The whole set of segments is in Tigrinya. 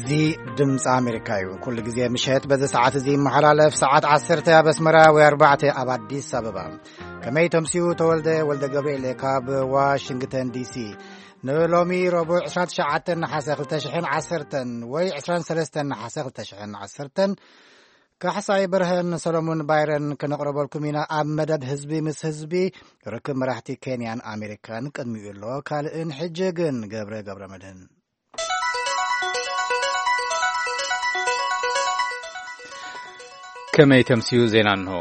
እዚ ድምፂ ኣሜሪካ እዩ። ኩሉ ግዜ ምሸት በዚ ሰዓት እዚ ይመሓላለፍ። ሰዓት ዓሰርተ ኣብ ኣስመራ ወይ ኣርባዕተ ኣብ ኣዲስ ኣበባ። ከመይ ተምስዩ? ተወልደ ወልደ ገብርኤል ካብ ዋሽንግተን ዲሲ። ንሎሚ ረቡዕ ዕስራን ትሽዓተን ነሓሰ ክልተ ሽሕን ዓሰርተን ወይ ዕስራን ሰለስተን ነሓሰ ክልተ ሽሕን ዓሰርተን፣ ካሕሳይ በርሀን ሰሎሞን ባይረን ከነቕረበልኩም ኢና ኣብ መደብ ህዝቢ ምስ ህዝቢ። ርክብ መራሕቲ ኬንያን ኣሜሪካን ቅድሚኡ ኣሎ። ካልእን ሕጂ ግን ገብረ ገብረ መድህን። ከመይ ተምስዩ? ዜና እንሆ።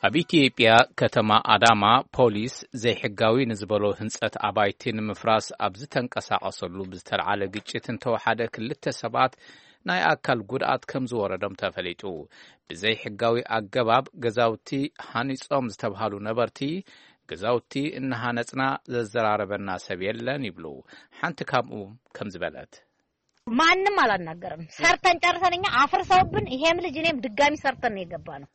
ኣብ ኢትዮጵያ ከተማ ኣዳማ ፖሊስ ዘይሕጋዊ ንዝበሎ ህንጸት ኣባይቲ ንምፍራስ ኣብ ዝተንቀሳቐሰሉ ብዝተልዓለ ግጭት እንተወሓደ ክልተ ሰባት ናይ ኣካል ጉድኣት ከም ዝወረዶም ተፈሊጡ። ብዘይሕጋዊ ኣገባብ ገዛውቲ ሃኒጾም ዝተብሃሉ ነበርቲ፣ ገዛውቲ እናሃነጽና ዘዘራረበና ሰብ የለን ይብሉ። ሓንቲ ካብኡ ከም ዝበለት። ማንም አላናገረም። ሰርተን ጨርሰን እኛ አፍርሰውብን ይሄም ልጅ እኔም ድጋሚ ሰርተን ነው የገባነው።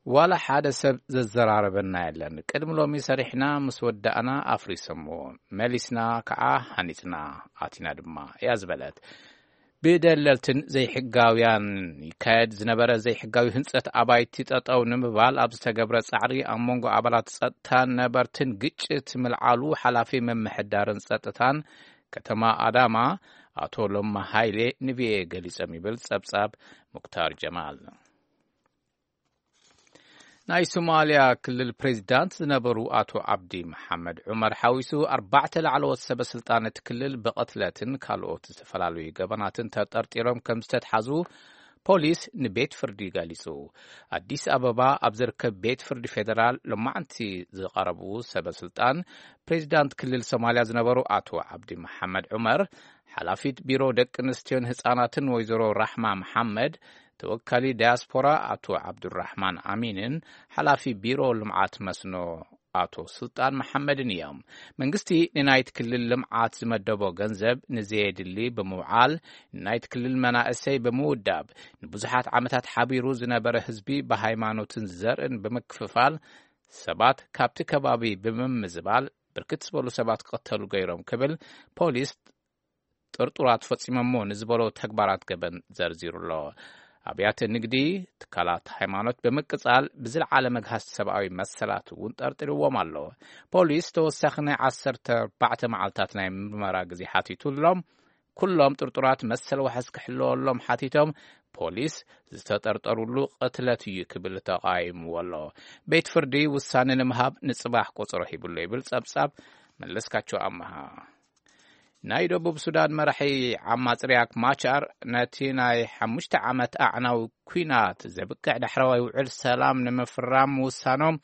ዋላ ሓደ ሰብ ዘዘራረበና የለን። ቅድሚ ሎሚ ሰሪሕና ምስ ወዳእና ኣፍሪሶምዎ። መሊስና ከዓ ሃኒጽና ኣቲና ድማ እያ ዝበለት። ብደለልትን ዘይሕጋውያን ይካየድ ዝነበረ ዘይሕጋዊ ህንጸት ኣባይቲ ጠጠው ንምባል ኣብ ዝተገብረ ጻዕሪ ኣብ መንጎ ኣባላት ጸጥታን ነበርትን ግጭት ምልዓሉ ሓላፊ ምምሕዳርን ጸጥታን ከተማ ኣዳማ ኣቶ ለማ ሃይሌ ንቪኦኤ ገሊጾም ይብል ጸብጻብ ሙክታር ጀማል። ናይ ሶማልያ ክልል ፕሬዚዳንት ዝነበሩ ኣቶ ዓብዲ መሓመድ ዑመር ሓዊሱ ኣርባዕተ ላዕለዎት ሰበ ስልጣን እቲ ክልል ብቕትለትን ካልኦት ዝተፈላለዩ ገበናትን ተጠርጢሮም ከም ዝተትሓዙ ፖሊስ ንቤት ፍርዲ ገሊጹ። ኣዲስ ኣበባ ኣብ ዝርከብ ቤት ፍርዲ ፌደራል ሎማዕንቲ ዝቐረቡ ሰበ ስልጣን፣ ፕሬዚዳንት ክልል ሶማልያ ዝነበሩ ኣቶ ዓብዲ መሓመድ ዑመር፣ ሓላፊት ቢሮ ደቂ ኣንስትዮን ህጻናትን ወይዘሮ ራሕማ መሓመድ፣ ተወካሊ ዳያስፖራ ኣቶ ዓብዱራሕማን ኣሚንን ሓላፊ ቢሮ ልምዓት መስኖ ኣቶ ስልጣን መሓመድን እዮም። መንግስቲ ንናይቲ ክልል ልምዓት ዝመደቦ ገንዘብ ንዘየድሊ ብምውዓል፣ ንናይቲ ክልል መናእሰይ ብምውዳብ፣ ንብዙሓት ዓመታት ሓቢሩ ዝነበረ ህዝቢ ብሃይማኖትን ዘርእን ብምክፍፋል፣ ሰባት ካብቲ ከባቢ ብምምዝባል፣ ብርክት ዝበሉ ሰባት ክቕተሉ ገይሮም ክብል ፖሊስ ጥርጡራት ፈጺሞሞ ንዝበሎ ተግባራት ገበን ዘርዚሩ ኣሎ። ኣብያተ ንግዲ፣ ትካላት ሃይማኖት ብምቅጻል ብዝለዓለ መግሃስ ሰብኣዊ መሰላት እውን ጠርጢርዎም ኣሎ። ፖሊስ ተወሳኺ ናይ ዓሰርተ ኣርባዕተ መዓልታት ናይ ምርመራ ግዜ ሓቲቱ ኣሎም። ኩሎም ጥርጡራት መሰል ዋሕስ ክሕለወሎም ሓቲቶም፣ ፖሊስ ዝተጠርጠሩሉ ቅትለት እዩ ክብል ተቓይምዎ ኣሎ። ቤት ፍርዲ ውሳነ ንምሃብ ንጽባሕ ቆጸሮ ሂብሎ ይብል ጸብጻብ መለስካቸው ኣመሃ። ናይ ደቡብ ሱዳን መራሒ ዓማጺ ሪያክ ማቻር ነቲ ናይ ሓሙሽተ ዓመት ኣዕናዊ ኲናት ዘብቅዕ ዳሕረዋይ ውዕል ሰላም ንምፍራም ምውሳኖም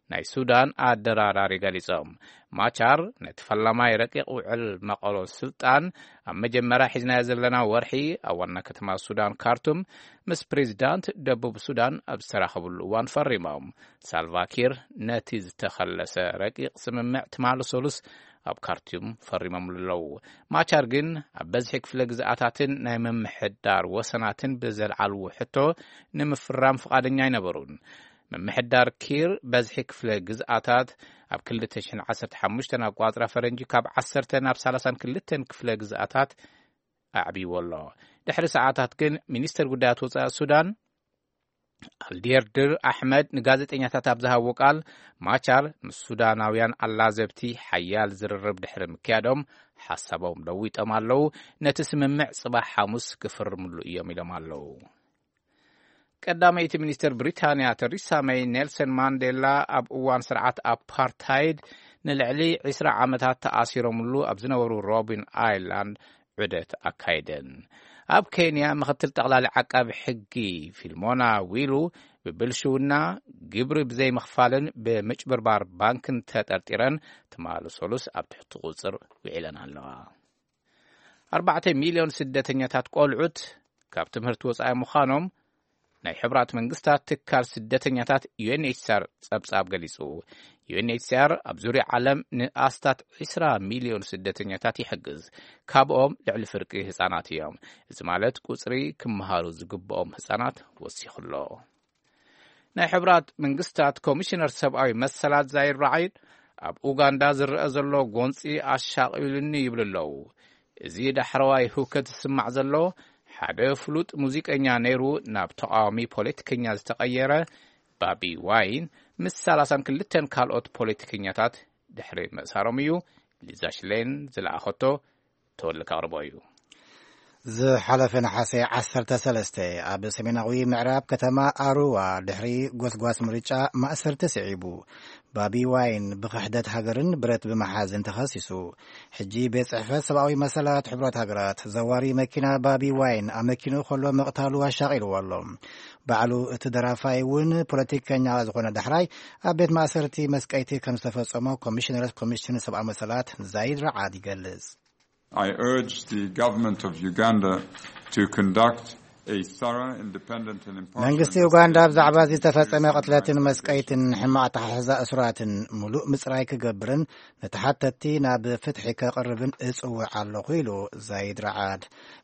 ናይ ሱዳን ኣደራዳሪ ገሊጾም። ማቻር ነቲ ፈላማይ ረቂቕ ውዕል መቐሎ ስልጣን ኣብ መጀመርያ ሒዝናዮ ዘለና ወርሒ ኣብ ዋና ከተማ ሱዳን ካርቱም ምስ ፕሬዚዳንት ደቡብ ሱዳን ኣብ ዝተራኸብሉ እዋን ፈሪሞም። ሳልቫኪር ነቲ ዝተኸለሰ ረቂቕ ስምምዕ ትማሊ ሰሉስ ኣብ ካርቱም ፈሪሞምሉ ኣለዉ። ማቻር ግን ኣብ በዝሒ ክፍለ ግዝኣታትን ናይ ምምሕዳር ወሰናትን ብዘልዓልዎ ሕቶ ንምፍራም ፍቓደኛ ኣይነበሩን። ምምሕዳር ኪር በዝሒ ክፍለ ግዝኣታት ኣብ ክልተ ሽሕን ዓሰርተ ሓሙሽተን ኣቋጽራ ፈረንጂ ካብ ዓሰርተ ናብ ሰላሳን ክልተን ክፍለ ግዝኣታት ኣዕብይዎ ኣሎ። ድሕሪ ሰዓታት ግን ሚኒስተር ጉዳያት ወጻኢ ሱዳን ኣልዲርድር ኣሕመድ ንጋዜጠኛታት ኣብ ዝሃቦ ቃል፣ ማቻር ምስ ሱዳናውያን ኣላዘብቲ ሓያል ዝርርብ ድሕሪ ምክያዶም ሓሳቦም ለዊጦም ኣለዉ። ነቲ ስምምዕ ጽባሕ ሓሙስ ክፍርምሉ እዮም ኢሎም ኣለዉ። ቀዳመይቲ ሚኒስትር ብሪታንያ ተሪሳ መይ፣ ኔልሰን ማንዴላ ኣብ እዋን ስርዓት ኣፓርታይድ ንልዕሊ ዕስራ ዓመታት ተኣሲሮምሉ ኣብ ዝነበሩ ሮቢን ኣይላንድ ዑደት ኣካይደን። ኣብ ኬንያ ምኽትል ጠቕላሊ ዓቃቢ ሕጊ ፊልሞና ዊሉ ብብልሽውና፣ ግብሪ ብዘይምኽፋልን ብምጭብርባር ባንክን ተጠርጢረን ትማሊ ሰሉስ ኣብ ትሕቲ ቁጽር ውዒለን ኣለዋ። ኣርባዕተ ሚልዮን ስደተኛታት ቆልዑት ካብ ትምህርቲ ወጻኢ ምዃኖም ናይ ሕቡራት መንግስታት ትካል ስደተኛታት ዩ ኤን ኤች ሲ ኣር ጸብጻብ ገሊጹ። ዩ ኤን ኤች ሲ ኣር ኣብ ዙርያ ዓለም ንኣስታት ዕስራ ሚልዮን ስደተኛታት ይሕግዝ። ካብኦም ልዕሊ ፍርቂ ህጻናት እዮም። እዚ ማለት ቁጽሪ ክመሃሩ ዝግብኦም ህጻናት ወሲኹ ኣሎ። ናይ ሕቡራት መንግስታት ኮሚሽነር ሰብኣዊ መሰላት ዛይድ ራዒድ ኣብ ኡጋንዳ ዝረአ ዘሎ ጎንጺ ኣሻቒሉኒ ይብሉ ኣለዉ። እዚ ዳሕረዋይ ህውከት ዝስማዕ ዘሎ ሓደ ፍሉጥ ሙዚቀኛ ነይሩ ናብ ተቓዋሚ ፖለቲከኛ ዝተቐየረ ባቢ ዋይን ምስ ሰላሳን ክልተን ካልኦት ፖለቲከኛታት ድሕሪ ምእሳሮም እዩ። ሊዛ ሽሌን ዝለኣኸቶ ተወልካ ኣቕርቦ እዩ። ዝሓለፈ ነሓሰ ዓሰርተ ሰለስተ ኣብ ሰሜናዊ ምዕራብ ከተማ ኣሩዋ ድሕሪ ጎስጓስ ምርጫ ማእሰርቲ ስዒቡ። ባቢ ዋይን ብኽሕደት ሃገርን ብረት ብምሓዝን ተኸሲሱ። ሕጂ ቤት ጽሕፈት ሰብኣዊ መሰላት ሕቡራት ሃገራት ዘዋሪ መኪና ባቢ ዋይን ኣብ መኪንኡ ከሎ ምቕታሉ ኣሻቒልዎ ኣሎ። ባዕሉ እቲ ደራፋይ እውን ፖለቲከኛ ዝኾነ ዳሕራይ ኣብ ቤት ማእሰርቲ መስቀይቲ ከም ዝተፈጸሞ ኮሚሽነር ኮሚሽን ሰብኣዊ መሰላት ዛይድ ረዓድ ይገልጽ። I urge the government of Uganda to conduct a thorough, independent and impartial መንግስቲ ኡጋንዳ ብዛዕባ እዚ ዝተፈጸመ ቅትለትን መስቀይትን ሕማቕ ኣተሓሕዛ እሱራትን ሙሉእ ምጽራይ ክገብርን ንተሓተቲ ናብ ፍትሒ ከቕርብን እጽውዕ ኣለኹ ኢሉ ዛይድ ረዓድ።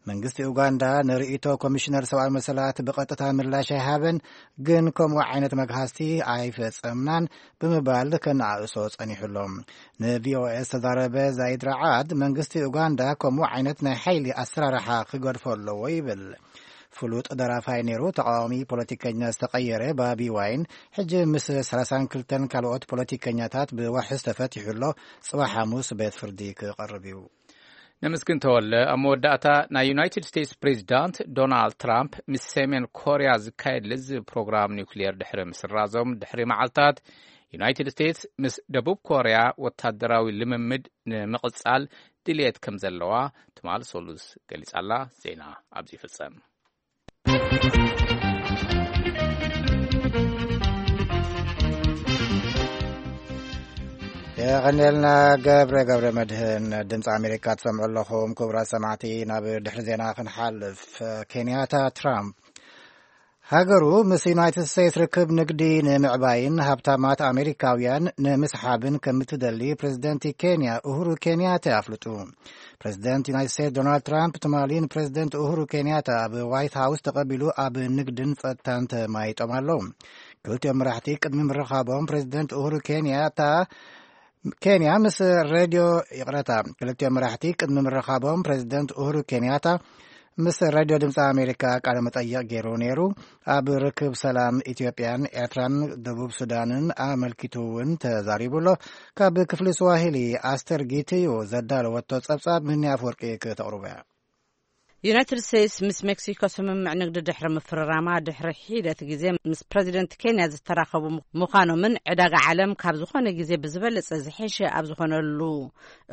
መንግስቲ ኡጋንዳ ንርእይቶ ኮሚሽነር ሰብኣዊ መሰላት ብቐጥታ ምላሽ ኣይሃበን፣ ግን ከምኡ ዓይነት መግሃስቲ ኣይፈጸምናን ብምባል ከነኣእሶ ጸኒሑ ኣሎ። ንቪኦኤ ዝተዛረበ ዛይድ ረዓድ መንግስቲ ኡጋንዳ ከምኡ ዓይነት ናይ ሓይሊ ኣሰራርሓ ክገድፎ ኣለዎ ይብል። ፍሉጥ ደራፋይ ነይሩ ተቃዋሚ ፖለቲከኛ ዝተቐየረ ባቢ ዋይን ሕጂ ምስ ሰላሳን ክልተን ካልኦት ፖለቲከኛታት ብዋሕስ ተፈቲሑ ኣሎ። ጽባሕ ሓሙስ ቤት ፍርዲ ክቐርብ እዩ። ነመስግን ተወለ። ኣብ መወዳእታ ናይ ዩናይትድ ስቴትስ ፕሬዚዳንት ዶናልድ ትራምፕ ምስ ሰሜን ኮርያ ዝካየድ ልዝብ ፕሮግራም ኒውክሊየር ድሕሪ ምስራዞም ድሕሪ መዓልታት ዩናይትድ ስቴትስ ምስ ደቡብ ኮርያ ወታደራዊ ልምምድ ንምቕጻል ድልየት ከም ዘለዋ ትማል ሶሉስ ገሊጻላ። ዜና ኣብዚ ይፍጸም። የቐንየልና ገብረ ገብረ መድህን። ድምፂ ኣሜሪካ ትሰምዑ ኣለኹም ክቡራት ሰማዕቲ። ናብ ድሕሪ ዜና ክንሓልፍ፣ ኬንያታ ትራምፕ ሃገሩ ምስ ዩናይትድ ስቴትስ ርክብ ንግዲ ንምዕባይን ሃብታማት ኣሜሪካውያን ንምስሓብን ከምትደሊ ፕሬዚደንት ኬንያ ኡሁሩ ኬንያታ ኣፍልጡ። ፕሬዚደንት ዩናይትድ ስቴትስ ዶናልድ ትራምፕ ትማሊ ንፕሬዚደንት ኡሁሩ ኬንያታ ኣብ ዋይት ሃውስ ተቐቢሉ ኣብ ንግድን ጸጥታን ተማይጦም ኣለዉ። ክልቲኦም መራሕቲ ቅድሚ ምርኻቦም ፕሬዚደንት ኡሁሩ ኬንያታ ኬንያ ምስ ሬድዮ ይቕረታ ክልቲኦም መራሕቲ ቅድሚ ምርኻቦም ፕሬዚደንት ኡሁሩ ኬንያታ ምስ ሬድዮ ድምፂ ኣሜሪካ ቃለ መጠይቕ ገይሩ ነይሩ። ኣብ ርክብ ሰላም ኢትዮጵያን ኤርትራን ደቡብ ሱዳንን ኣመልኪቱ እውን ተዛሪቡ ኣሎ። ካብ ክፍሊ ስዋሂሊ ኣስተር ጊትዩ ዘዳለወቶ ጸብጻብ ምህኒ ኣፍወርቂ ክተቕርቦ እያ። ዩናይትድ ስቴትስ ምስ ሜክሲኮ ስምምዕ ንግዲ ድሕሪ ምፍርራማ ድሕሪ ሒደት ግዜ ምስ ፕሬዚደንት ኬንያ ዝተራኸቡ ምዃኖምን ዕዳጋ ዓለም ካብ ዝኾነ ግዜ ብዝበለጸ ዝሐሸ ኣብ ዝኾነሉ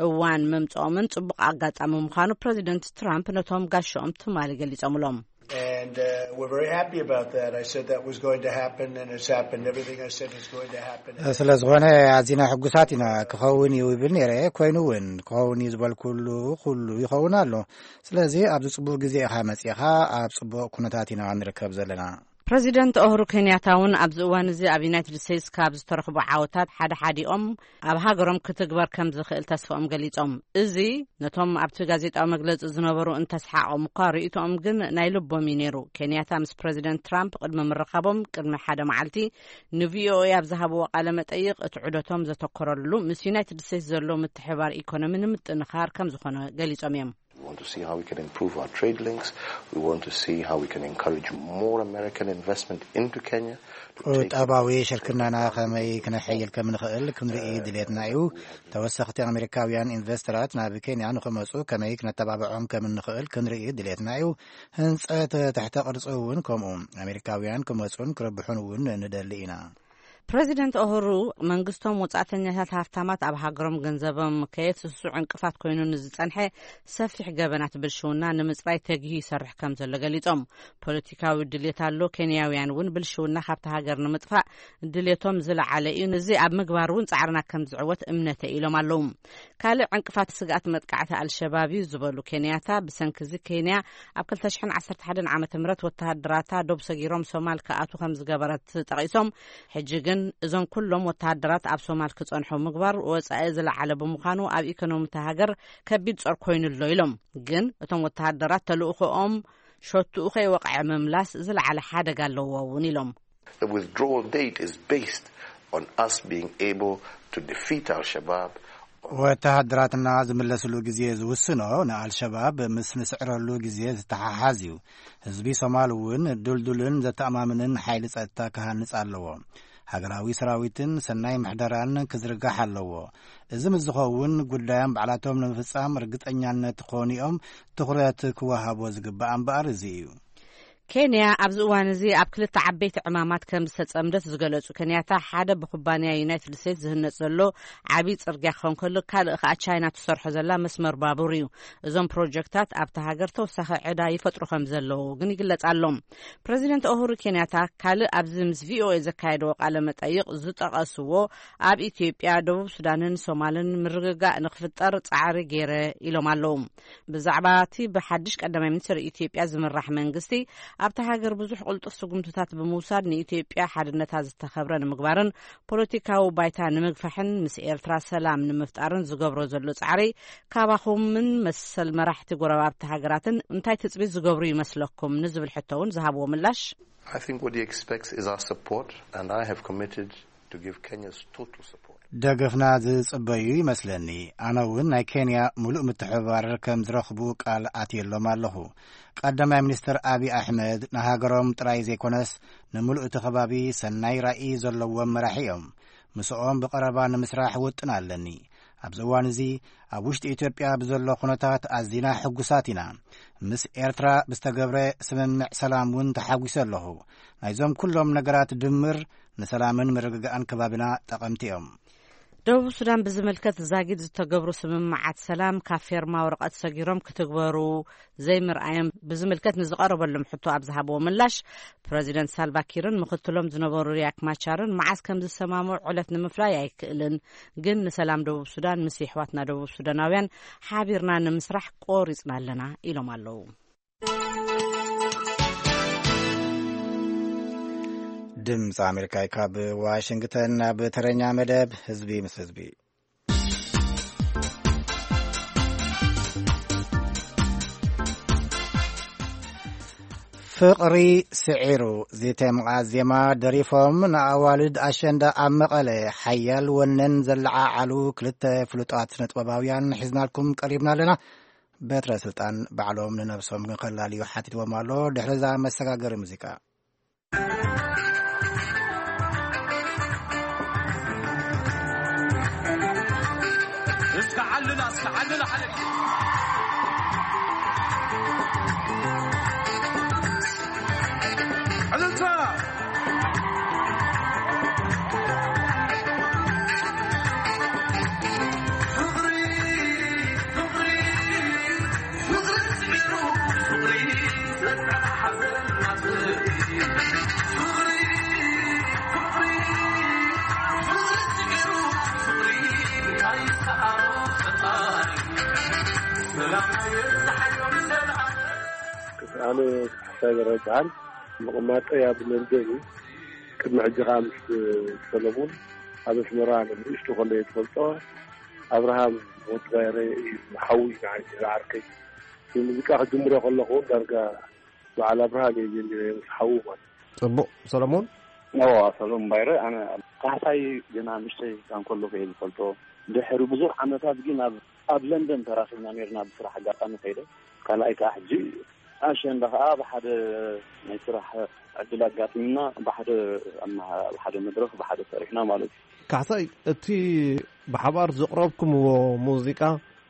እዋን ምምጽኦምን ጽቡቕ ኣጋጣሚ ምዃኑ ፕሬዚደንት ትራምፕ ነቶም ጋሻኦም ትማሊ ገሊጾምሎም። And uh, we're very happy about that. I said that was going to happen, and it's happened. Everything I said was going to happen. ስለ ዝኾነ ኣዚና ሕጉሳት ኢና። ክኸውን እዩ ይብል ነይረ፣ ኮይኑ እውን ክኸውን እዩ ዝበልኩሉ ኩሉ ይኸውን ኣሎ። ስለዚ ኣብዚ ጽቡቕ ግዜ ኢኻ መጺኻ፣ ኣብ ጽቡቕ ኩነታት ኢና ንርከብ ዘለና። ፕረዚደንት ኡሁሩ ኬንያታ እውን ኣብዚ እዋን እዚ ኣብ ዩናይትድ ስቴትስ ካብ ዝተረኽቡ ዓወታት ሓደ ሓዲኦም ኣብ ሃገሮም ክትግበር ከም ዝኽእል ተስፋኦም ገሊጾም። እዚ ነቶም ኣብቲ ጋዜጣዊ መግለጺ ዝነበሩ እንተስሓቖም እኳ፣ ርእይቶኦም ግን ናይ ልቦም እዩ ነይሩ። ኬንያታ ምስ ፕረዚደንት ትራምፕ ቅድሚ ምርኻቦም ቅድሚ ሓደ መዓልቲ ንቪኦኤ ኣብ ዝሃብዎ ቃለ መጠይቕ፣ እቲ ዑደቶም ዘተኮረሉ ምስ ዩናይትድ ስቴትስ ዘሎ ምትሕብባር ኢኮኖሚ ንምጥንኻር ከም ዝኾነ ገሊጾም እዮም። We want to see how we can improve our trade links. We want to see how we can encourage more American investment into Kenya to take ቁጠባዊ ሽርክናና ከመይ ክነሐይል ከም ንኽእል ክንርኢ ድሌትና እዩ። ተወሰኽቲ ኣሜሪካውያን ኢንቨስተራት ናብ ኬንያ ንኽመጹ ከመይ ክነተባብዖም ከም እንኽእል ክንርኢ ድሌትና እዩ። ህንጸት ትሕተ ቅርጺ እውን ከምኡ። ኣሜሪካውያን ክመጹን ክረብሑን እውን ንደሊ ኢና። ፕረዚደንት ኡሁሩ፣ መንግስቶም ወጻእተኛታት ሃብታማት ኣብ ሃገሮም ገንዘቦም ከየፍስሱ ዕንቅፋት ኮይኑ ንዝጸንሐ ሰፊሕ ገበናት ብልሽውና ንምጽራይ ተጊሁ ይሰርሕ ከም ዘሎ ገሊጾም። ፖለቲካዊ ድልየት ኣሎ፣ ኬንያውያን እውን ብልሽውና ካብቲ ሃገር ንምጥፋእ ድልየቶም ዝለዓለ እዩ። ነዚ ኣብ ምግባር እውን ጻዕርና ከም ዝዕወት እምነተ ኢሎም ኣለዉ። ካልእ ዕንቅፋት ስግኣት መጥቃዕቲ ኣልሸባብ እዩ ዝበሉ ኬንያታ፣ ብሰንኪ እዚ ኬንያ ኣብ ክልተ ሽሕን ዓሰርተ ሓደን ዓመተ ምህረት ወተሃደራታ ዶብ ሰጊሮም ሶማል ክኣትዉ ከም ዝገበረት ጠቒሶም፣ ሕጂ ግን እዞም ኩሎም ወተሃደራት ኣብ ሶማል ክጸንሑ ምግባር ወጻኢ ዝለዓለ ብምዃኑ ኣብ ኢኮኖሚ እታ ሃገር ከቢድ ጾር ኮይኑ ኣሎ ኢሎም። ግን እቶም ወተሃደራት ተልእኾኦም ሸቱኡ ከይወቕዐ ምምላስ ዝለዓለ ሓደጋ ኣለዎ እውን ኢሎም። The withdrawal date is based on us being able to defeat Al-Shabaab ወተሃደራትና ዝምለስሉ ግዜ ዝውስኖ ንኣልሸባብ ምስ ንስዕረሉ ግዜ ዝተሓሓዝ እዩ። ህዝቢ ሶማል እውን ድልዱልን ዘተኣማምንን ሓይሊ ጸጥታ ክሃንጽ ኣለዎ። ሃገራዊ ሰራዊትን ሰናይ ምሕደራን ክዝርጋሕ ኣለዎ። እዚ ምስ ዝኸውን ጉዳዮም ባዕላቶም ንምፍጻም ርግጸኛነት ክኾኑ እዮም። ትኹረት ክወሃቦ ዝግባእ እምበኣር እዚ እዩ። ኬንያ ኣብዚ እዋን እዚ ኣብ ክልተ ዓበይቲ ዕማማት ከም ዝተጸምደት ዝገለጹ ኬንያታ፣ ሓደ ብኩባንያ ዩናይትድ ስቴትስ ዝህነጽ ዘሎ ዓብዪ ጽርግያ ክኸውን ከሎ፣ ካልእ ከኣ ቻይና ትሰርሖ ዘላ መስመር ባቡር እዩ። እዞም ፕሮጀክታት ኣብታ ሃገር ተወሳኺ ዕዳ ይፈጥሩ ከም ዘለዉ ግን ይግለጽ ኣሎ። ፕረዚደንት ኡሁሩ ኬንያታ ካልእ ኣብዚ ምስ ቪኦኤ ዘካየድዎ ቃለ መጠይቕ ዝጠቐስዎ፣ ኣብ ኢትዮጵያ፣ ደቡብ ሱዳንን ሶማልን ምርግጋእ ንክፍጠር ጻዕሪ ገይረ ኢሎም ኣለዉ። ብዛዕባ እቲ ብሓድሽ ቀዳማይ ሚኒስትር ኢትዮጵያ ዝምራሕ መንግስቲ ኣብታ ሃገር ብዙሕ ቅልጡፍ ስጉምትታት ብምውሳድ ንኢትዮጵያ ሓድነታ ዝተኸብረ ንምግባርን ፖለቲካዊ ባይታ ንምግፋሕን ምስ ኤርትራ ሰላም ንምፍጣርን ዝገብሮ ዘሎ ጻዕሪ ካባኹምን መሰል መራሕቲ ጎረባብቲ ሃገራትን እንታይ ትጽቢት ዝገብሩ ይመስለኩም ንዝብል ሕቶ እውን ዝሃብዎ ምላሽ I think what he expects is our support, and I have committed to give Kenya's total support. ደገፍና ዝጽበዩ ይመስለኒ። ኣነ እውን ናይ ኬንያ ምሉእ ምትሕብባር ከም ዝረኽቡ ቃል ኣትየሎም ኣለኹ። ቀዳማይ ሚኒስትር ኣቢ ኣሕመድ ንሃገሮም ጥራይ ዘይኮነስ ንምሉእ እቲ ከባቢ ሰናይ ራእይ ዘለዎም መራሒ እዮም። ምስኦም ብቐረባ ንምስራሕ ውጥን ኣለኒ። ኣብዚ እዋን እዚ ኣብ ውሽጢ ኢትዮጵያ ብዘሎ ኩነታት ኣዚና ሕጉሳት ኢና። ምስ ኤርትራ ብዝተገብረ ስምምዕ ሰላም እውን ተሓጒሰ ኣለኹ። ናይዞም ኩሎም ነገራት ድምር ንሰላምን ምርግጋእን ከባቢና ጠቐምቲ እዮም። ደቡብ ሱዳን ብዝምልከት ዛጊድ ዝተገብሩ ስምምዓት ሰላም ካብ ፌርማ ወረቐት ሰጊሮም ክትግበሩ ዘይምርኣዮም ብዝምልከት ንዝቐረበሎም ሕቶ ኣብ ዝሃብዎ ምላሽ፣ ፕረዚደንት ሳልቫኪርን ምኽትሎም ዝነበሩ ሪያክ ማቻርን መዓስ ከም ዝሰማምዑ ዕለት ንምፍላይ ኣይክእልን፣ ግን ንሰላም ደቡብ ሱዳን ምስ የሕዋትና ደቡብ ሱዳናውያን ሓቢርና ንምስራሕ ቆሪጽና ኣለና ኢሎም ኣለዉ። ድምፂ ኣሜሪካ ካብ ዋሽንግተን። ናብ ተረኛ መደብ ህዝቢ ምስ ህዝቢ። ፍቕሪ ስዒሩ ዝተምቓ ዜማ ደሪፎም ንኣዋልድ ኣሸንዳ ኣብ መቐለ ሓያል ወነን ዘለዓዓሉ ክልተ ፍሉጣት ስነጥበባውያን ሒዝናልኩም ቀሪብና ኣለና። በትረ ስልጣን ባዕሎም ንነብሶም ግን ከላልዩ ሓቲትዎም ኣሎ። ድሕሪ እዛ መሰጋገሪ ሙዚቃ። እስከ ዓልላ፣ እስከ ዓልላ ሓደ ግዜ። ዕልልታ። ኣነ ሓሳይ በረድሃል፣ ምቕማጠይ ኣብ ለንደን እዩ። ቅድሚ ሕጂ ከኣ ምስ ሰለሙን ኣብ ኣስመራ ንእሽቶ ከለየ ትፈልጦ፣ ኣብርሃም ወዲ ባይረ እዩ ሓዊ ንዓይ ዝዓርከይ። ብሙዚቃ ክጅምሮ ከለኹ እውን ዳርጋ በዓል ኣብርሃም እየ ጀሚረ ምስ ሓዉ ማለት። ጽቡቕ ሰለሞን። ኣዎ፣ ሰለሞን ባይረ። ኣነ ካሕሳይ ገና ንእሽተይ እንከለኹ እየ ዝፈልጦ። ድሕሪ ብዙሕ ዓመታት ግን ኣብ ኣብ ለንደን ተራኺብና ነርና ብስራሕ ኣጋጣሚ ከይደ። ካልኣይ ከዓ ሕጂ ኣሸንዳ ከዓ ብሓደ ናይ ስራሕ ዕድል ኣጋጢምና ብሓደ ኣመሃ- ኣብ ሓደ መድረኽ ብሓደ ሰሪሕና ማለት እዩ። ካሕሳይ፣ እቲ ብሓባር ዘቕረብኩምዎ ሙዚቃ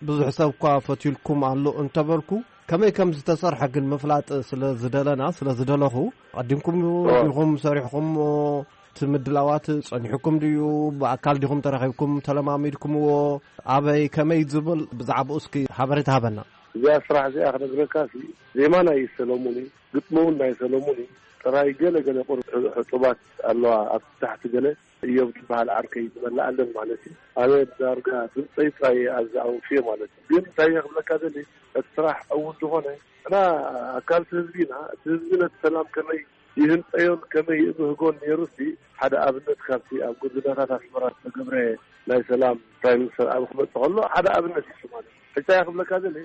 ብዙሕ ሰብ እኳ ፈትዩልኩም ኣሎ እንተበልኩ፣ ከመይ ከም ዝተሰርሐ ግን ምፍላጥ ስለ ዝደለና፣ ስለ ዝደለኹ፣ ቀዲምኩም ዲኹም ሰሪሕኹምዎ? እቲ ምድላዋት ጸኒሕኩም ድዩ? ብኣካል ዲኹም ተራኺብኩም ተለማሚድኩምዎ? ኣበይ፣ ከመይ ዝብል ብዛዕባኡ እስኪ ሓበሬታ ሃበና። እዚኣ ስራሕ እዚኣ ክነግረካ ሲ፣ ዜማ ናይ ሰለሙን እዩ፣ ግጥሚ እውን ናይ ሰለሙን እዩ። ጥራይ ገለ ገለ ቁሩብ ሕጡባት ኣለዋ ኣብ ታሕቲ ገለ። እዮብ ትበሃል ዓርከይ ትመልኣለን ማለት እዩ። ኣነ ዳርጋ ድምፀይ ጥራይ ኣብዚ ኣውፍየ ማለት እዩ። ግን እንታይ እየ ክብለካ ደሊ፣ እቲ ስራሕ ዕዉት ዝኾነ፣ ንሕና ኣካልቲ ህዝቢ ኢና። እቲ ህዝቢ ነቲ ሰላም ከመይ ይህንጠዮን ከመይ ይብህጎን ነይሩ ሲ፣ ሓደ ኣብነት ካብቲ ኣብ ጎደናታት ኣስመራ ዝተገብረ ናይ ሰላም ፕራይም ሚኒስተር ኣብ ክመጽእ ከሎ ሓደ ኣብነት እዩ ማለት እዩ። ሕጂ እየ ክብለካ ደሊ፣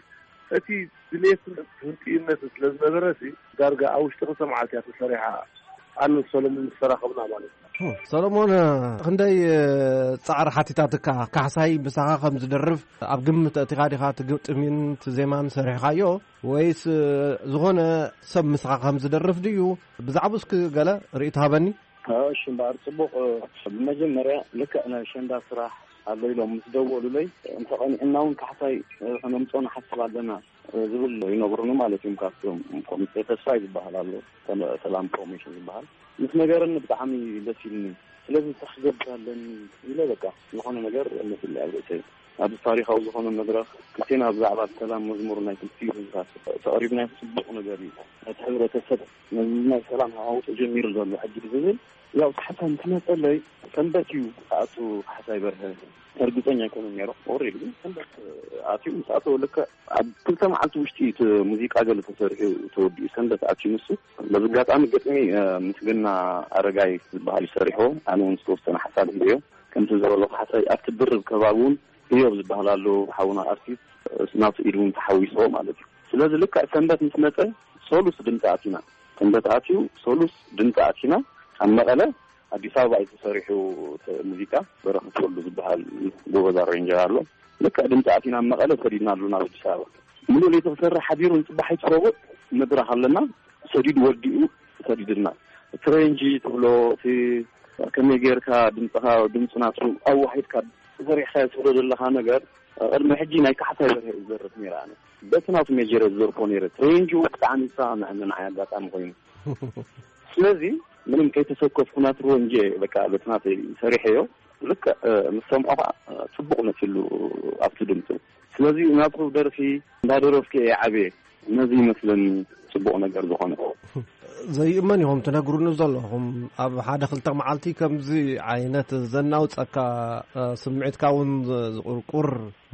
እቲ ድሌትን ህንጥይነትን ስለ ዝነበረ ሲ፣ ዳርጋ ኣብ ውሽጢ ክልተ መዓልቲ እያ ተሰሪሓ። ኣነ ሰለሙን ምስ ተራኸብና ማለት እዩ። ሰሎሞን፣ ክንደይ ጻዕሪ ሓቲታትካ? ካሕሳይ ምሳኻ ከም ዝደርፍ ኣብ ግምት ኣእቲኻ ዲኻ እቲ ግጥሚን እቲ ዜማን ሰሪሕካዮ? ወይስ ዝኾነ ሰብ ምሳኻ ከም ዝደርፍ ድዩ? ብዛዕባኡ እስኪ ገለ ርእይቶ ሃበኒ። እሺ፣ እምበኣር ጽቡቕ። ብመጀመርያ ልክዕ ናይ ኣሸንዳ ስራሕ ኣሎ ኢሎም ምስ ደወሉለይ፣ እንተቐኒዕና እውን ካሕሳይ ከነምጽኦ ንሓስብ ኣለና ዝብል ይነግሩኒ ማለት እዮም። ካብቶም ኮሚቴ ተስፋይ ዝበሃል ኣሎ፣ ሰላም ፕሮሞሽን ዝበሃል፣ ምስ ነገረኒ ብጣዕሚ ደስ ኢሉኒ። ስለዚ እንታይ ክገብር ኣለኒ ኢለ በቃ ዝኾነ ነገር መሲለይ ኣብ ርእሰይ። ኣብዚ ታሪኻዊ ዝኾነ መድረኽ ክልቴና ብዛዕባ ሰላም መዝሙር ናይ ክልቲኡ ህዝብታት ተቕሪብናዮ ጽቡቕ ነገር እዩ። ነቲ ሕብረተሰብ ነዚ ናይ ሰላም ሃዋሁ ተጀሚሩ ዘሎ ሕጂ ዝብል ያው ካሕሳይ ምስ መጸለይ ሰንበት እዩ ክኣቱ ካሕሳይ በርሀ እርግጸኛ ኣይኮነን ነይሩ። ኦሬዲ ግን ሰንበት ኣትዩ ምስ ኣተወ ልክዕ ኣብ ክልተ መዓልቲ ውሽጢ እቲ ሙዚቃ ገለ ተሰሪሑ ተወዲኡ ሰንበት ኣትዩ ንሱ። በዚ ኣጋጣሚ ግጥሚ ምስግና ኣረጋይ ዝበሃል እዩ ሰሪሕዎ። ኣነ እውን ዝተወሰነ ሓሳብ ሂበዮ። ከምቲ ዝበሎ ካሕሳይ ኣብቲ ድርብ ከባቢ እውን ህዮብ ዝበሃል ኣሎ ሓውና ኣርቲስት፣ ናቱ ኢድ እውን ተሓዊስዎ ማለት እዩ። ስለዚ ልክዕ ሰንበት ምስ መጸ ሶሉስ ድምፂ ኣቲና። ሰንበት ኣትዩ ሶሉስ ድምፂ ኣቲና። ኣብ መቐለ ኣዲስ ኣበባ እዩ ተሰሪሑ እቲ ሙዚቃ። በረኸት ወልዱ ዝበሃል ጎበዝ ኣሬንጀር ኣሎ። ልክዕ ድምፂ ኣቲና ኣብ መቐለ ሰዲድና ኣለና ኣብ ኣዲስ ኣበባ። ምሉእ ለይቲ ክሰርሕ ሓዲሩ ንፅባሒቱ ረቡዕ መድረኽ ኣለና። ሰዲዱ ወዲኡ ሰዲድና። እቲ ሬንጂ ትብሎ እቲ ከመይ ጌርካ ድምፅኻ ድምፂ ናቱ ኣዋሂድካ ተሰሪሕካ ትብሎ ዘለኻ ነገር ቅድሚ ሕጂ ናይ ካሕሳይ በርሀ እዩ ዝደርፍ ነይረ። ኣነ በቲ ናቱ ሜጀር ዝደርፎ ነይረ። ሬንጁ ብጣዕሚ ይሰማምዐኒ ንዓይ ኣጋጣሚ ኮይኑ። ስለዚ ምንም ከይተሰከፍኩ ናቱ ሬንጅ በቃ በቲ ናተይ ሰሪሐዮ። ልክዕ ምስ ሰምዖ ከዓ ፅቡቕ መሲሉ ኣብቲ ድምፁ። ስለዚ ናቱ ደርፊ እንዳደረፍኩ እየ ዓብየ። ነዚ ይመስለኒ ጽቡቕ ነገር ዝኾነ። ዘይእመን ኢኹም ትነግሩኒ ዘለኹም። ኣብ ሓደ ክልተ መዓልቲ ከምዚ ዓይነት ዘናውጸካ፣ እ፣ ስምዒትካ እውን ዝ-፣ ዝቁርቁር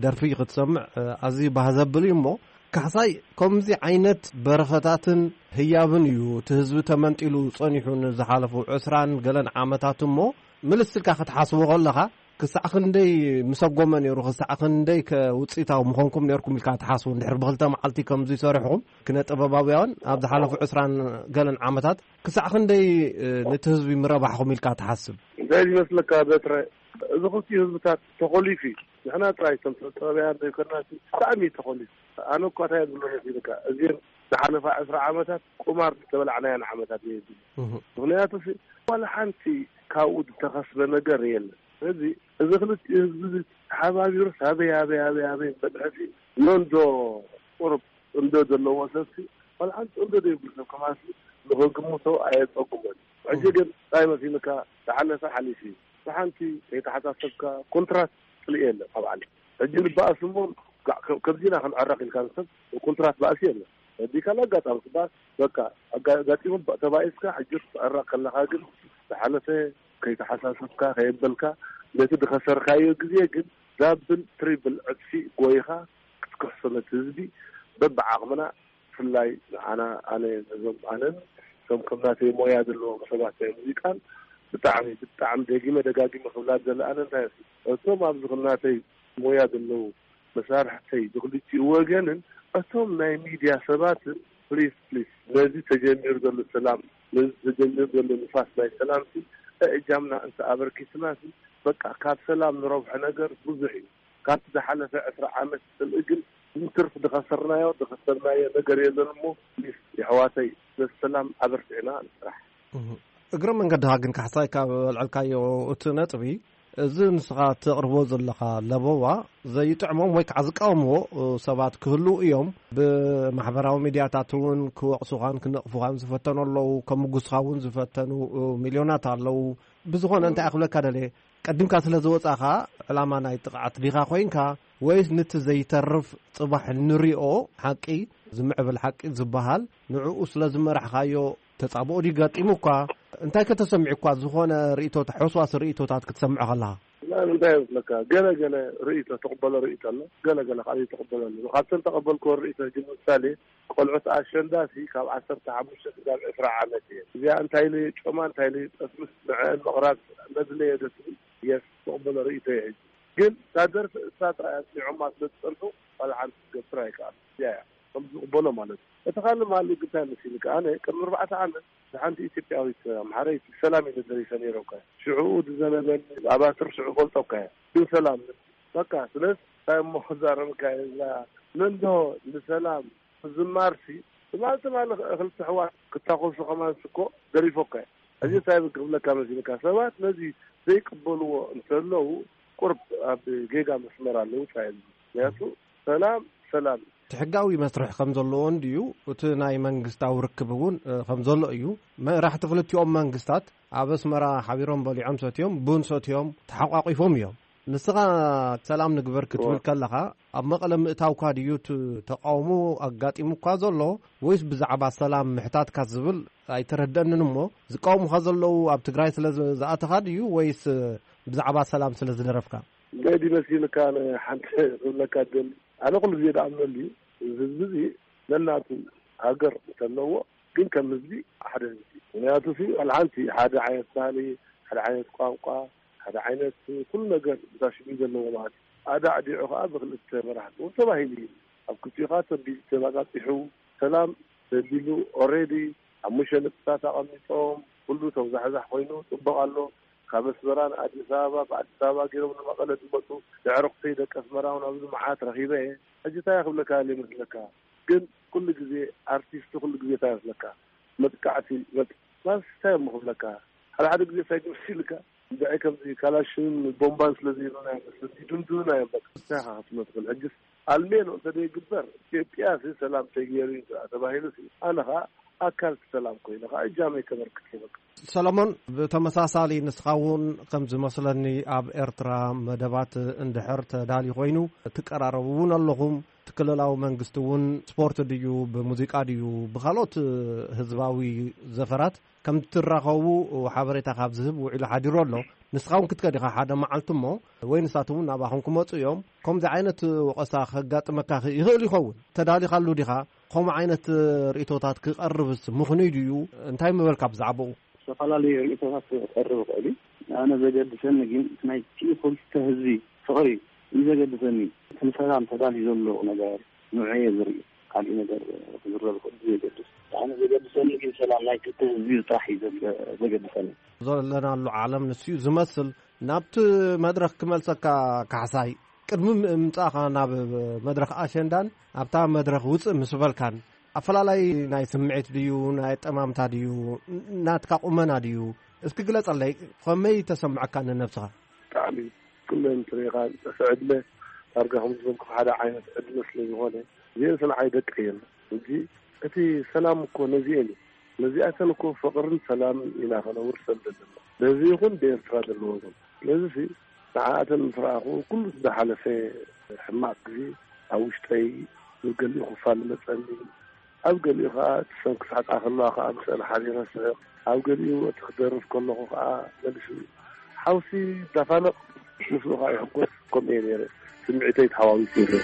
ደርፊ ክትሰምዕ፣ እ፣ ኣዝዩ ባህ ዘብል እዩ እሞ፣ ካሕሳይ ከምዚ ዓይነት በረኸታትን ህያብን እዩ እቲ ህዝቢ ተመንጢሉ ጸኒሑ ንዝሓለፉ ዕስራን ገለን ዓመታት እሞ፣ ምልስ ኢልካ ክትሓስቦ ከለኻ፣ ክሳዕ ክንደይ ምሰጎመ ነይሩ፣ ክሳዕ ክንደይ ከ ውጽኢታዊ ምኾንኩም ነይርኩም ኢልካ ትሓስቡ? እንድሕር ብክልተ መዓልቲ ከምዚ ሰሪሕኹም፣ ክነ ጥበባውያን ኣብ ዝሓለፉ ዕስራን ገለን ዓመታት ክሳዕ ክንደይ፣ እ፣ ነቲ ህዝቢ ምረባሕኹም ኢልካ ትሓስብ? እንታይ ዝመስለካ በትረ፣ እዚ ክልቲኡ ህዝብታት ተኾሊፉ እዩ። ንሕና ጥራይ እቶም ሰብ ጥበባውያን ዘይኮናሲ ብጣዕሚ እዩ ተኾሊፉ። ኣነ እኳ እንታይ እየ ዝብሎ መሲልካ፣ እዚን ዝሓለፋ ዕስራ ዓመታት ቁማር ዝተበላዕናየን ዓመታት እየ ዝብል። እህ። ምኽንያቱ ሲ፣ ዋላ ሓንቲ ካብኡ ዝተኸስበ ነገር የለን። ስለዚ እዚ ክልቲኡ ህዝቢ እዚ ተሓባቢሩስ ኣበይ፣ ኣበይ፣ ኣበይ፣ ኣበይ በድሐ ሲ፣ ኖንዶ ቁሩብ እንዶ ዘለዎ ሰብ ሲ፣ ዋላ ሓንቲ እንዶ ዘይብሉ ሰብ ከማን ሲ፣ ንኽግምቶ ኣየጸግሞን። ሕጂ ግን እንታይ መሲልካ፣ ዝሓለፈ ሓሊፉ እዩ። ብሓንቲ ከይተሓሳሰብካ ኮንትራት ጽልኢ የለን ካብ ዓለም። ሕጂ ንበኣስ እሞ፣ ጋ-፣ ከ-፣ ከምዚና ክንዕረቕ ኢልካ ንሰብ ኮንትራት ባእሲ የለን። ወዲካ ኣጋጣሚ ትበኣስ፣ በቃ፣ ኣጋ-፣ ኣጋጢሙ ባ-፣ ተባኢስካ፣ ሕጂ ክትዕረቕ ከለኻ ግን ዝሓለፈ ከይተሓሳሰብካ፣ ከየበልካ፣ ነቲ ዝኸሰርካዮ ግዜ ግን ዳብል ትሪብል ዕጽፊ ጎይኻ ክትክሕሶ ነቲ ህዝቢ በብዓቕምና ብፍላይ ንዓና፣ ኣነ ነዞም፣ ኣነን እቶም ከም ናተይ ሞያ ዘለዎም ሰባት ናይ ሙዚቃን ብጣዕሚ፣ ብጣዕሚ ደጊመ ደጋጊመ ክብላ ዝደሊ ኣነ እንታይ እሱ፣ እቶም ኣብዚ ከም ናተይ ሞያ ዘለዉ መሳርሕተይ ብክልቲኡ ወገንን እቶም ናይ ሚድያ ሰባትን ፕሊስ፣ ፕሊስ ነዚ ተጀሚሩ ዘሎ ሰላም፣ ነዚ ተጀሚሩ ዘሎ ንፋስ ናይ ሰላምሲ እእጃምና እንተ ኣበርኪትናሲ በቃ ካብ ሰላም ንረብሖ ነገር ብዙሕ እዩ። ካብቲ ዝሓለፈ ዕስራ ዓመት ጽልኢ ግን ብትርፊ ዝኸሰርናዮ፣ ዝኸሰርናዮ ነገር የለን እሞ፣ ፕሊስ፣ የሕዋተይ፣ ነቲ ሰላም ኣበርቲዕና ንስራሕ። እህ። እግረ መንገድኻ ግን ካሕሳይ ካብ ኣልዐልካዮ እቲ ነጥቢ፣ እዚ ንስኻ ተቕርቦ ዘለኻ ለበዋ ዘይጥዕሞም ወይ ከዓ ዝቃወምዎ ሰባት ክህልዉ እዮም። ብማሕበራዊ ሚድያታት እውን ክወቕሱኻን ክነቕፉኻን ዝፈተኑ ኣለዉ፣ ከምጉስኻ እውን ዝፈተኑ ሚልዮናት ኣለዉ። ብዝኾነ እንታይ ክብለካ ደልየ፣ ቀዲምካ ስለ ዝወጻኻ ዕላማ ናይ ጥቕዓት ዲኻ ኮይንካ ወይስ ንቲ ዘይተርፍ ጽባሕ ንሪኦ ሓቂ ዝምዕብል ሓቂ ዝበሃል ንዕኡ ስለ ዝመራሕካዮ ተጻብኦ ድዩ ገጢሙኳ? እንታይ ከተሰሚዑኳ ዝኾነ ርእይቶታት፣ ሕውስዋስ ርእይቶታት ክትሰምዖ ከለኻ? እና እንታይ ይመስለካ? ገለ ገለ ርእይቶ ተቕበሎ ርእይቶ ኣሎ፣ ገለ ገለ ካልእ ተቕበሎ ኣሎ። ካብተን ተቐበልክዎ ርእይቶ ግን ምሳሌ ቆልዑት ኣሸንዳ ሲ ካብ ዓሰርተ ሓሙሽተ ክሳብ ዕስራ ዓመት እየ። እዚኣ እንታይ ኢሉ ጮማ እንታይ ኢሉ ጠስምስ ንዕአን ምቕራብ መድለየ ዶ ትብል? የስ፣ ተቕበሎ ርእይቶ እየ። ሕጂ ግን እታ ደርፊ እሳ ጥራይ ኣስሚዖማ ስለ ዝጸንሑ ዋላ ሓንቲ ክትገብር ኣይከኣሉ። እዚኣ እያ ከም ዝቕበሎ ማለት እዩ። እቲ ካልእ ማለት ግን እንታይ መሲልካ? ኣነ ቅድሚ ኣርባዕተ ዓመት ንሓንቲ ኢትዮጵያዊት ኣምሓረይቲ ሰላም ኢለ ደሪፈ ነይረ እኮ። ሽዕኡ ዝዘነበኒ ኣባትር ሽዑ ፈልጦ እኮ እየ። ግን ሰላም በቃ። ስለዚ እንታይ እሞ ክዛረብካ እየ? እዛ መንዶ ንሰላም ክዝማርሲ ትማል ትማል ክልተ ኣሕዋት ክታኮሱ ከማን እኮ ደሪፎ እኮ እየ። እዚ እንታይ ክብለካ መሲልካ? ሰባት ነዚ ዘይቅበልዎ እንተለዉ ቁርብ ኣብ ጌጋ መስመር ኣለዉ ጻ። ምክንያቱ ሰላም ሰላም። እቲ ሕጋዊ መስርሕ ከም ዘለዎ እንድዩ፣ እቲ ናይ መንግስታዊ ርክብ እውን እ፣ ከም ዘሎ እዩ። መራሕቲ ክልቲኦም መንግስታት ኣብ ኣስመራ ሓቢሮም በሊዖም ሰትዮም፣ ቡን ሰትዮም፣ ተሓቋቂፎም እዮም። ንስኻ ሰላም ንግበር ክትብል እወ። ከለኻ ኣብ መቐለ ምእታውካ ድዩ እቲ ተቃውሞ ኣጋጢሙካ ዘሎ ወይስ ብዛዕባ ሰላም ምሕታትካ ዝብል ኣይተረደንን እሞ ዝቃወሙኻ ዘለዉ ኣብ ትግራይ ስለ ዝ- ዝኣተኻ ድዩ ወይስ ብዛዕባ ሰላም ስለ ዝደረፍካ? ገዲ መሲልካ ንሓንቲ ክብለካ ደሊ ኣነ ኩሉ ግዜ ደኣምነሉ እዩ። እዚ ህዝቢ እዚ ነናቱ ሃገር እንተለዎ ግን ከም ህዝቢ ሓደ ህዝቢ እዩ። ምክንያቱ ሲ ዋላ ሓንቲ ሓደ ዓይነት ባህሊ፣ ሓደ ዓይነት ቋንቋ፣ ሓደ ዓይነት ኩሉ ነገር ብታሽቢ ዘለዎ ማለት እዩ። ኣዳዕዲዑ ከዓ ብክልተ መራሕቲ እውን ተባሂሉ እዩ። ኣብ ክልቲኡ ከዓ ተቢሉ ተባፃፂሑ ሰላም ተቢሉ ኦሬዲ ሓሙሽተ ነጥብታት ኣቐሚጦም ኩሉ ተውዛሕዛሕ ኮይኑ ፅቡቕ ኣሎ። ካብ ኣስመራ ንኣዲስ ኣበባ ብኣዲስ ኣበባ ገይሮም ንመቐለ ዝመፁ ኣዕሩኽተይ ደቂ ኣስመራ እውን ኣብዚ መዓት ረኺበ እየ። ሕጂ እንታይ ክብለካ ይመስለካ? ግን ኩሉ ግዜ ኣርቲስት ኩሉ ግዜ እንታይ ይመስለካ? መጥቃዕቲ መጥ- ማስ እንታይ እሞ ክብለካ? ሓደ ሓደ ግዜ እንታይ ግምስ ኢልካ እንድዒ ከምዚ ካላሽን ቦምባን ስለ ዘይብልና ይመስል ይድምድምና እዮም። በቃ እንታይ ኢኻ ክትብሎ ትኽእል? ሕጅስ ኣልሜኖ እንተ ዘይግበር ኢትዮጵያ ሲ ሰላም ተገይሩ እዩ ተባሂሉ ሲ ኣነ ኸዓ ኣካል እቲ ሰላም ኮይነ ኸዓ እጃመይ ከበርክት ይበቃ። ሰሎሞን፣ ብተመሳሳሊ ንስኻ እውን ከም ዝመስለኒ ኣብ ኤርትራ መደባት እንድሕር ተዳልዩ ኮይኑ ትቀራረቡ እውን ኣለኹም። እቲ ክልላዊ መንግስቲ እውን ስፖርት ድዩ ብሙዚቃ ድዩ ብካልኦት ህዝባዊ ዘፈራት ከም ትራኸቡ ሓበሬታ ካብ ዝህብ ውዒሉ ሓዲሩ ኣሎ። ንስኻ እውን ክትከድ ኢኻ ሓደ መዓልቲ እሞ ወይ ንሳቶም እውን ናባኹም ክመፁ እዮም። ከምዚ ዓይነት ወቐሳ ከጋጥመካ ይኽእል ይኸውን። ተዳሊኻሉ ዲኻ? ከምኡ ዓይነት ርእይቶታት ክቐርብስ ምኽኑይ ድዩ? እንታይ ምበልካ ብዛዕባኡ? ዝተፈላለዩ ርእይቶታት ክቐርብ ይኽእል እዩ። ኣነ ዘገድሰኒ ግን እቲ ናይቲ ክልተ ህዝቢ ፍቕሪ እዩ ዘገድሰኒ። እቲ ንሰላም ተዳልዩ ዘሎ ነገር ንዑ እየ ዝርኢ። ካልእ ነገር ክዝረብ ይኽእል እዩ ዘገድስ። ኣነ ዘገድሰኒ ግን ሰላም ናይ ክልተ ህዝቢ ጥራሕ እዩ ዘገ- ዘገድሰኒ። ዘለናሉ ዓለም ንሱ እዩ ዝመስል። ናብቲ መድረኽ ክመልሰካ ካሕሳይ፣ ቅድሚ ምምጻእኻ ናብ መድረኽ ኣሸንዳን ኣብታ መድረኽ ውጽእ ምስ በልካን ኣፈላላይ ናይ ስምዒት ድዩ ናይ ኣጠማምታ ድዩ ናትካ ቁመና ድዩ? እስኪ ግለጸለይ፣ ከመይ ተሰምዐካ ንነብስኻ? ብጣዕሚ ኩለን ትሪኢኻ ዝጠፍዐ ዕድመ ዳርጋ ከም ዝበልኩ ሓደ ዓይነት ዕድመ ስለ ዝኾነ እዚአን ስንዓይ ደቂ እየን። ሕጂ እቲ ሰላም እኮ ነዚአን እዩ። ነዚኣተን እኮ ፍቕርን ሰላምን ኢና ከነውርሰን ዘለና። በዚ ይኹን ብኤርትራ ዘለዎ እውን። ስለዚ ሲ ንዓኣተን ምስ ረኣኹ ኩሉ ዝሓለፈ ሕማቕ ግዜ ኣብ ውሽጠይ ብገሊኡ ክፋል መጸኒ። ኣብ ገሊኡ ከኣ እቲ ሰንኪ ስሕቃ ከለዋ ከኣ ምስአን ሓቢረ ስሕቕ። ኣብ ገሊኡ እቲ ክደርፍ ከለኹ ከኣ መሊሱ ሓውሲ ይዳፋነቕ፣ ምስኡ ከኣ ይሕጎስ። ከምኡ እየ ነይረ። ስምዒተይ ተሓዋዊሱ ነይረ።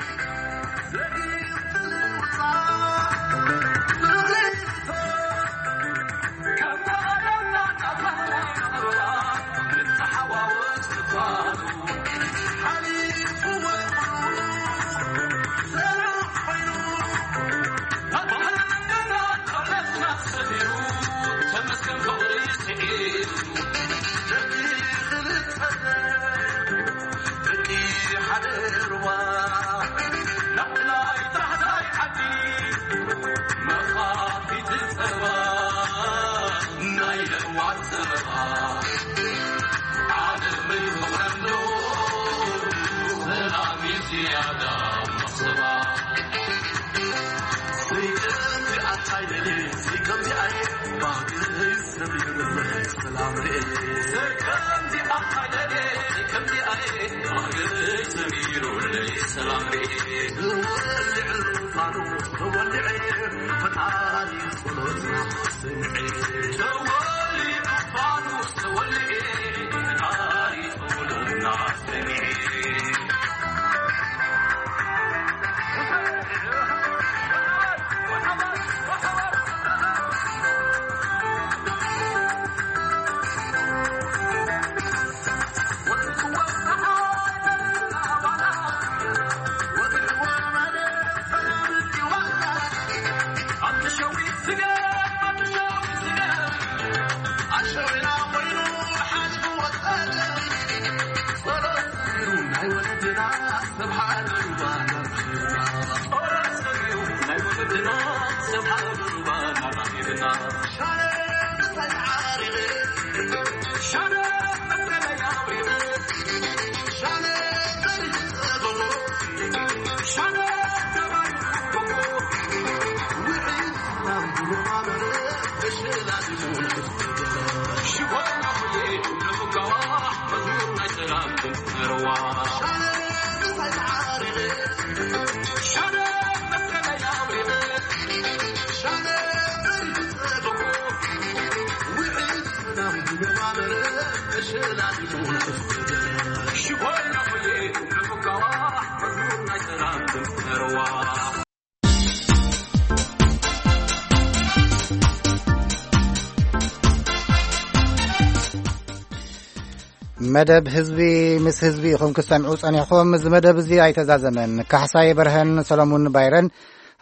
መደብ ህዝቢ ምስ ህዝቢ ኢኹም ክሰምዑ ጸኒሕኹም። እዚ መደብ እዚ ኣይተዛዘመን። ካሕሳይ በርሀን ሰሎሙን ባይረን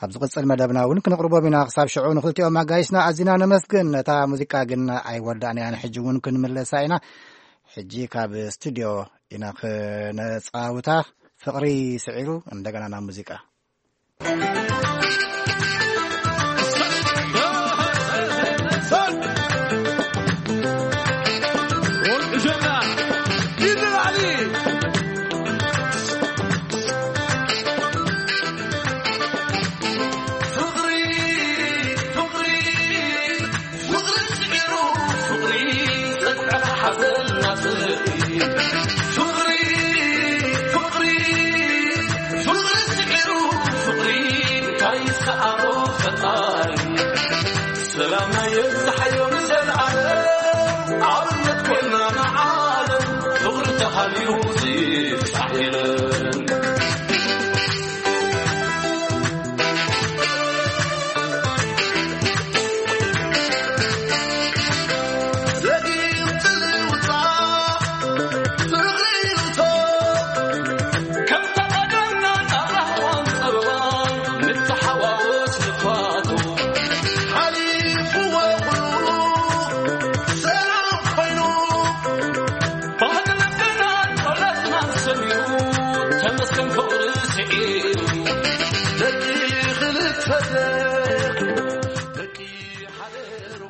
ኣብ ዝቕጽል መደብና እውን ክንቕርቦም ኢና። ክሳብ ሽዑ ንኽልቲኦም ኣጋይሽና ኣዚና ነመስግን። ነታ ሙዚቃ ግን ኣይወዳእናያን። ሕጂ እውን ክንምለሳ ኢና። ሕጂ ካብ ስቱድዮ ኢና ክነጻውታ። ፍቕሪ ስዒሩ እንደገና ናብ ሙዚቃ።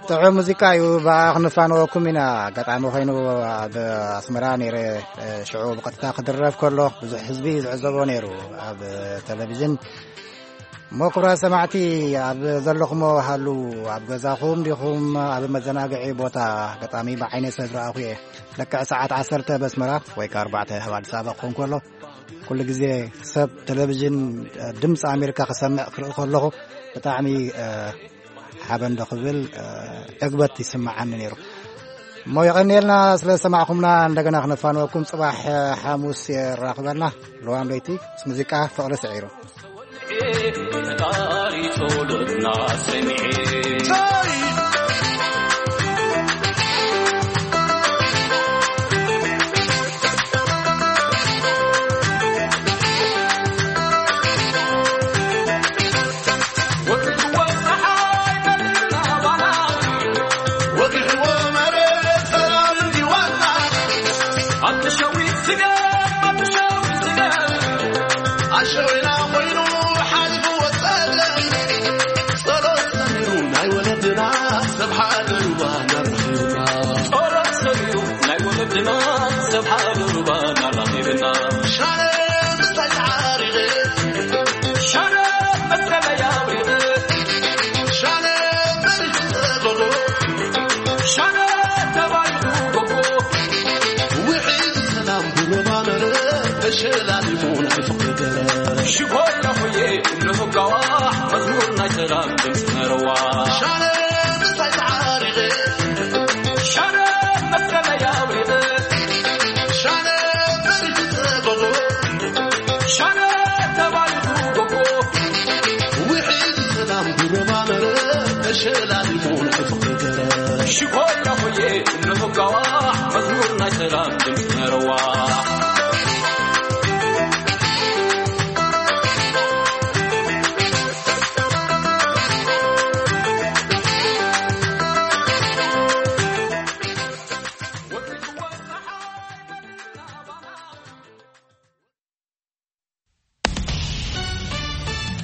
ጥዑም ሙዚቃ እዩ። ብኣ ክንፋነወኩም ኢና። ኣጋጣሚ ኮይኑ ኣብ ኣስመራ ነይረ፣ ሽዑ ብቐጥታ ክድረፍ ከሎ ብዙሕ ህዝቢ ዝዕዘቦ ነይሩ ኣብ ቴሌቪዥን። እሞ ክቡራት ሰማዕቲ፣ ኣብ ዘለኹሞ ሃሉ፣ ኣብ ገዛኹም ዲኹም ኣብ መዘናግዒ ቦታ፣ ኣጋጣሚ ብዓይነይ ሰብ ረኣኹ እየ። ልክዕ ሰዓት ዓሰርተ በስመራ ወይ ከኣ ኣርባዕተ ኣብ ኣዲስ ኣበባ ክኸውን ከሎ፣ ኩሉ ግዜ ሰብ ቴሌቪዥን ድምፂ ኣሜሪካ ክሰምዕ ክርኢ ከለኹ ብጣዕሚ ሓበን ዶ ክብል ዕግበት ይስምዓኒ ነይሩ። እሞ የቐንየልና ስለ ዝሰማዕኹምና። እንደገና ክነፋንወኩም፣ ጽባሕ ሓሙስ የራኽበና። ልዋም ለይቲ ምስ ሙዚቃ ፍቕሪ ስዒሩ።